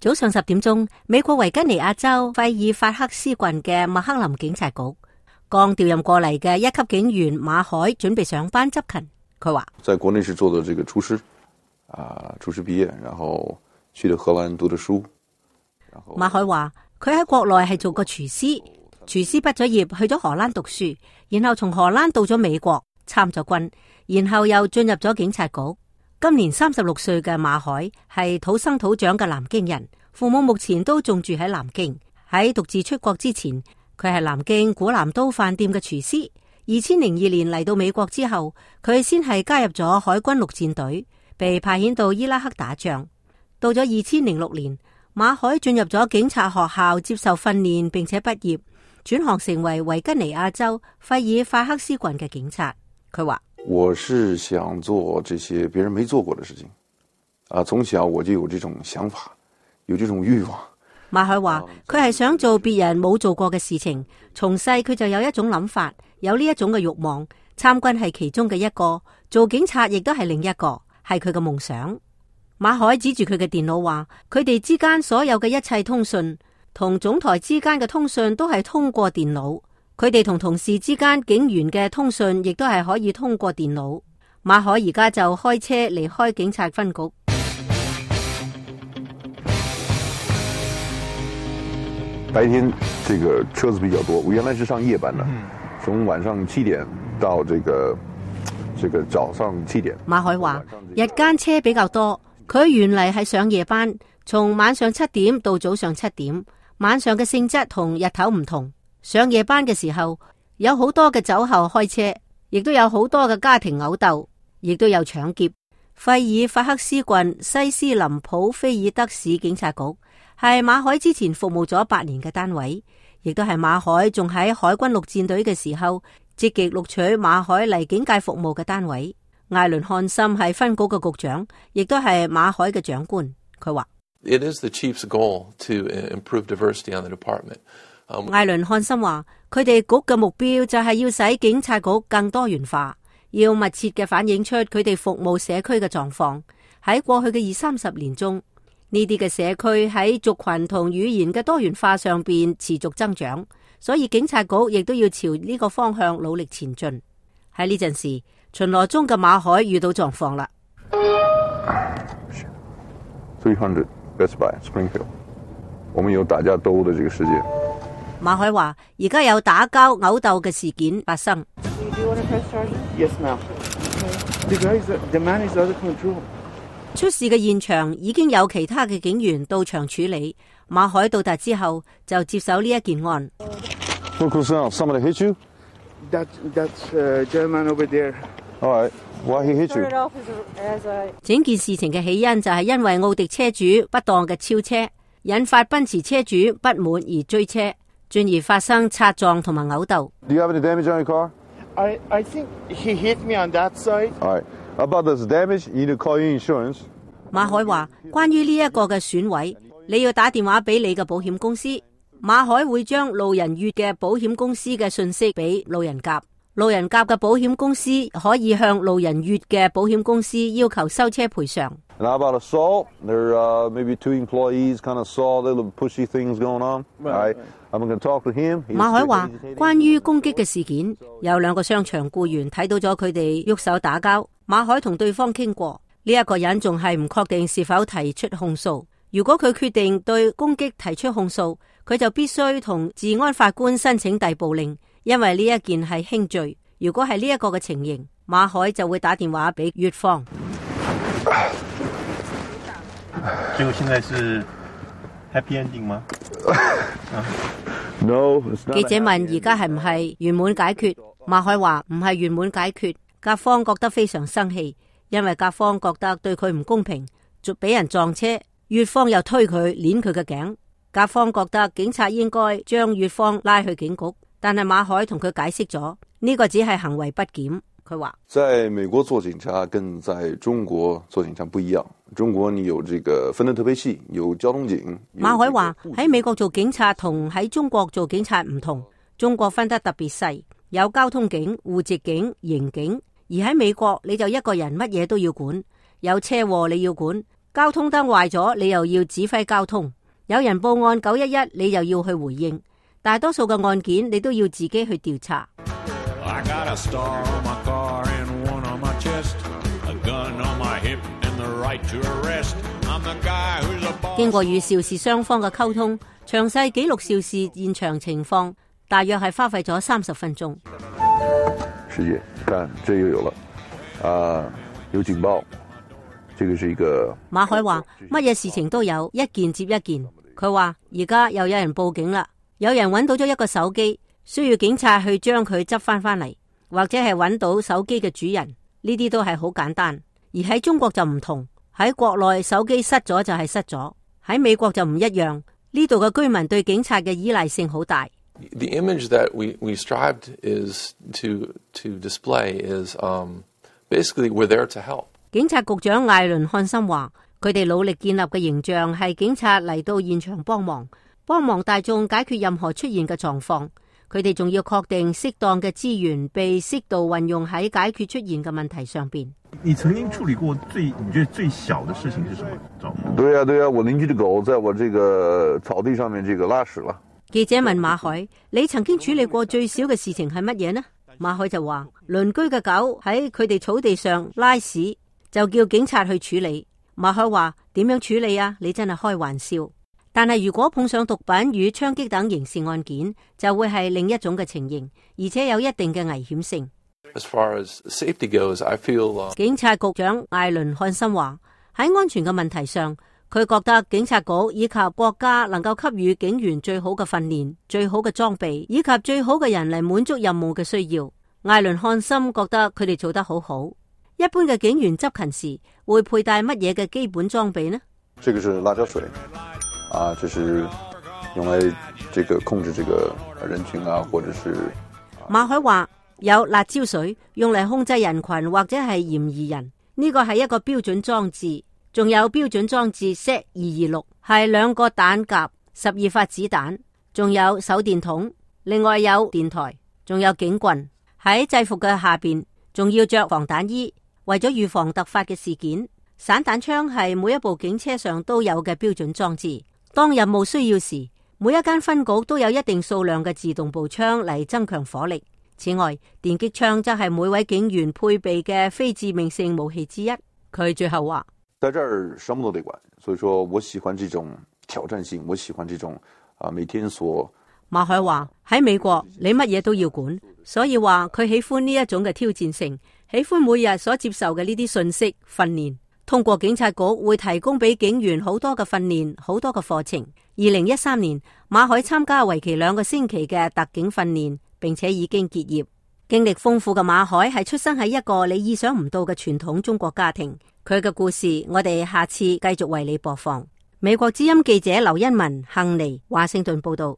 早上10點鐘，美國維吉尼亞州費爾法克斯郡嘅麥克林警察局，剛調任過嚟嘅1級警員馬海準備上班執勤。佢話：在國內是做的這個廚師，廚師畢業，然後去了荷蘭讀的書。馬海話：佢喺國內係做過廚師，廚師畢咗業去咗荷蘭讀書，然後從荷蘭到咗美國參咗軍，然後又進入咗警察局。今年36歲嘅馬海係土生土長嘅南京人，父母目前都仲住喺南京。喺獨自出國之前，佢係南京古南都飯店嘅廚師。2002年嚟到美國之後，佢先係加入咗海軍陸戰隊，被派遣到伊拉克打仗。到咗2006年，馬海進入咗警察學校接受訓練，並且畢業，轉行成為維吉尼亞州費爾法克斯郡嘅警察。佢話：我是想做這些別人沒做過的事情，從小我就有這種想法，有這種慾望。馬海話佢係想做別人冇做過嘅事情，從細佢就有一種諗法，有呢一種嘅慾望。參軍係其中嘅一個，做警察亦都係另一個，係佢嘅夢想。馬海指住佢嘅電腦話，佢哋之間所有嘅一切通訊，同總台之間嘅通訊都係通過電腦。佢哋同同事之間警員嘅通訊亦都係可以通過電腦。馬海而家就開車離開警察分局。白天這個車子比較多，我原來是上夜班的，從晚上7點到這個早上7點。馬海話日間車比較多，佢原嚟係上夜班，從晚上7點到早上7點，晚上嘅性質同日頭唔同。上夜班嘅時候，有好多嘅酒後開車，亦都有好多嘅家庭毆鬥，亦都有搶劫。費爾法克斯郡西斯林普菲爾德市警察局係馬海之前服務咗8年嘅單位，亦都係馬海仲喺海軍陸戰隊嘅時候積極錄取馬海嚟警界服務嘅單位。艾倫漢森係分局嘅局長，亦都係馬海嘅長官。佢話：It is the chief's goal to improve diversity on the department。艾倫漢森話：佢哋局嘅目標就係要使警察局更多元化，要密切嘅反映出佢哋服務社區嘅狀況。喺過去嘅20-30年中，呢啲嘅社區喺族群同語言嘅多元化上邊持續增長，所以警察局亦都要朝呢個方向努力前進。喺呢陣時，巡邏中嘅馬海遇到狀況啦。300 Best Buy Springfield， 我們有打架鬥的這個事件。馬海話：而家有打交毆鬥嘅事件發生。Yes, ma'am. The man is under control. 出事嘅現場已經有其他嘅警員到場處理。馬海到達之後就接手呢一件案。What goes on? Somebody hit you? That's German over there. All right. Why he hit you? 整件事情嘅起因就係因為奧迪車主不當嘅超車，引發奔馳車主不滿而追車，進而發生擦撞同埋毆鬥。Do you have any damage on your car? I think he hit me on that side. All right. About this damage, you need to call your insurance. 馬海話：關於呢一個嘅損毀，你要打電話俾你嘅保險公司。馬海會將路人乙嘅保險公司嘅信息俾路人甲，路人甲嘅保險公司可以向路人乙嘅保險公司要求收車賠償。Now about assault, there maybe 2 employees kind of saw the little pushy things going on. All right, I'm going to talk to him. 馬海話：關於攻擊嘅事件，有2個商場僱員睇到咗佢哋喐手打交。馬海同對方傾過，呢一個人仲係唔確定是否提出控訴。如果佢決定對攻擊提出控訴，佢就必須同治安法官申請逮捕令，因為呢一件係輕罪。如果係呢一個嘅情形，馬海就會打電話俾乙方。結果現在是 happy ending 嗎？No。記者問：而家係唔係圓滿解決？馬海話：唔係圓滿解決。甲方覺得非常生氣，因為甲方覺得對佢唔公平，就俾人撞車。乙方又推佢，捏佢嘅頸。甲方覺得警察應該將乙方拉去警局，但係馬海同佢解釋咗，呢個只係行為不檢。佢話：在美國做警察跟在中國做警察不一樣，中國你有這個分得特別細，有交通警。馬海話：喺美國做警察同喺中國做警察唔同，中國分得特別細，有交通警、戶籍警、刑警。而喺美國你就一個人乜嘢都要管，有車禍你要管，交通燈壞咗，你又要指揮交通；有人報案911，你又要去回應。大多數嘅案件你都要自己去調查。I got a star on my car and one on my chest, a gun on my hip and the right to arrest. I'm the guy who's a boss. 經過與肇事雙方嘅溝通，詳細記錄肇事現場情況，大約係花費咗30分鐘。世界，看這又有了，有警報，這個是一個。馬海話乜嘢事情都有，一件接一件。佢話而家又有人報警啦，有人揾到咗一個手機，需要警察去將佢執翻嚟，或者係揾到手機嘅主人，呢啲都係好簡單。而喺中國就唔同，喺國內手機失咗就係失咗，喺美國就唔一樣，呢度嘅居民對警察嘅依賴性好大。The image that we strived is to display is basically we're there to help. 警察局長艾倫漢森話，佢哋努力建立嘅形象係警察嚟到現場幫忙大眾解決任何出現嘅狀況。佢哋仲要確定適當嘅資源被適度運用喺解決出現嘅問題上邊。你曾經處理過你覺得最小的事情是什麼？對啊，我鄰居的狗在我這個草地上面這個拉屎了。記者問馬海：你曾經處理過最小嘅事情係乜嘢呢？馬海就話：鄰居嘅狗喺佢哋草地上拉屎，就叫警察去處理。馬海話：點樣處理啊？你真係開玩笑。但係如果碰上毒品與槍擊等刑事案件，就會係另一種嘅情形，而且有一定嘅危險性。As far as safety goes, I feel 警察局長艾倫漢森話，喺安全嘅問題上，佢覺得警察局以及國家能夠給予警員最好嘅訓練、最好嘅裝備以及最好嘅人嚟滿足任務嘅需要。艾倫漢森覺得佢哋做得好好。一般嘅警員執勤時會佩戴乜嘢嘅基本裝備呢？這個是辣椒水，這是用來這個控制這個人群啊，或者是。馬海話有辣椒水用嚟控制人群或者係嫌疑人，呢個係一個標準裝置。仲有標準裝置 Z226，係2個彈夾、12發子彈，仲有手電筒，另外有電台，仲有警棍。喺制服嘅下邊仲要着防彈衣，為咗預防突發嘅事件。散彈槍係每一部警車上都有嘅標準裝置。當任務需要時，每一間分局都有一定數量嘅自動步槍嚟增強火力。此外，電擊槍則係每位警員配備嘅非致命性武器之一。佢最後話：在這兒什麼都得管，所以說我喜歡這種挑戰性，我喜歡這種每天所。馬海話喺美國你乜嘢都要管，所以話佢喜歡呢一種嘅挑戰性，喜歡每日所接受嘅呢啲信息訓練。通過警察局會提供俾警員好多嘅訓練，好多嘅課程。2013年，馬海參加為期2個星期嘅特警訓練，並且已經結業。經歷豐富嘅馬海係出生喺一個你意想唔到嘅傳統中國家庭。佢嘅故事，我哋下次繼續為你播放。美國之音記者劉欣文、幸妮華盛頓報道。